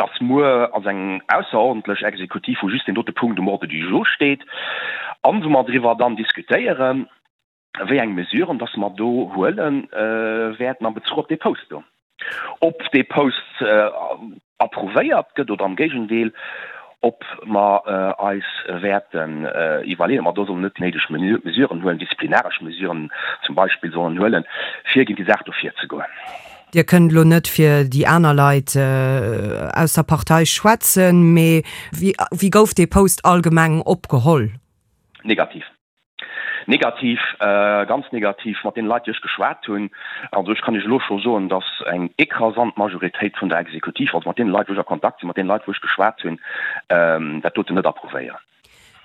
Dass muer ass eng ausserordentlech Exekutiv, wou just deen dote Punkt um Ordre du jour steet an wou mer driwwer dann diskutéieren, wéi eng Mesuren dass mer do huele wäerten am Bezuch op dee Post do. Ob dee Post approuvéiert gëtt oder am Géigendeel, ob mer eis wäerten iwwerleeën, ob mer do sollen net déi néideg Mesuren huelen, disziplinaresch Mesuren zum Beispill sollen huelen, fir géint déi Saach do virzegoen. Dir kënnt elo net fir déi aner Leit aus der Partei schwätzen, mee wéi gouf dee Post allgemeng opgeholl? Negativ. Negativ, ganz negativ, mat deene Leit, déi ech geschwat hunn. Also ech kann Iech elo scho soen, datt eng écrasant Majoritéit vun der Exekutiv, also mat deene Leit, wou ech a Kontakt sinn, mat deene Leit, wou ech geschwat hunn, dat doten net approuvéieren.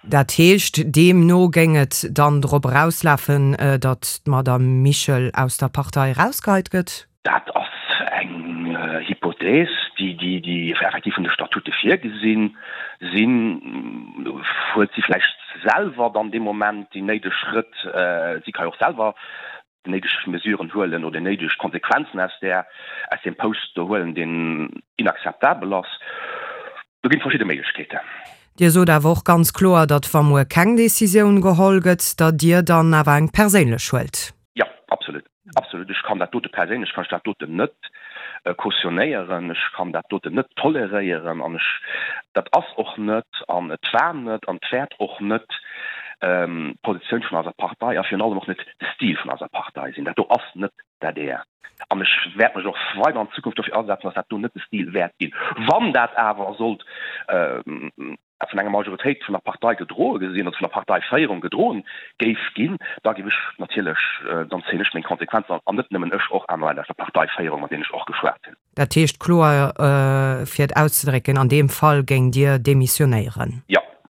Dat heescht, deemno géing et dann drop erauslafen, datt d'Madame Michel aus der Partei erausgeheit gëtt? Dat ass eng Hypothèse, déi effektiv vun de Statute virgesinn sinn. Huet si vläicht selwer dann dee Moment déi néideg Schrëtt, si ka jo och selwer déi néideg Mesuren huelen oder déi néideg Konsequenzen aus där, aus deem Post do huelen, deen inakzeptabel ass. Do ginn et verschidde Méiglechkeeten. Dir sot awer och ganz kloer, datt wa muer keng Decisioun geholl gëtt, datt Dir dann awer eng perséinlech huelt. Jo, absolut. Absolut. Ech kann dat dote perséinlech kann ech dat doten net cautionnéieren. Ech kann dat doten net toleréieren an ech, dat ass och net an et war net an et wäert och net d'Positioun vun eiser Partei a virun allem och net de Stil vun eiser Partei sinn. Dat do ass net d'ADR. An ech wäert mech och weider an Zukunft dofir asetzen, dass dat do net de Stil wäert ginn. Wann dat awer sollt vun enger Majoritéit vun der Partei gedroe gesinn oder vun der Parteiféierung gedroen géif ginn, da géif ech natierlech, dann zéien ech meng Konsequenzen an net nëmmen ech, och aner Leit aus der Parteiféierung, mat deenen ech och geschwat hunn. Dat heescht, kloer fir et auszedrécken, an deem Fall géingt Dir demissionéieren? Jo.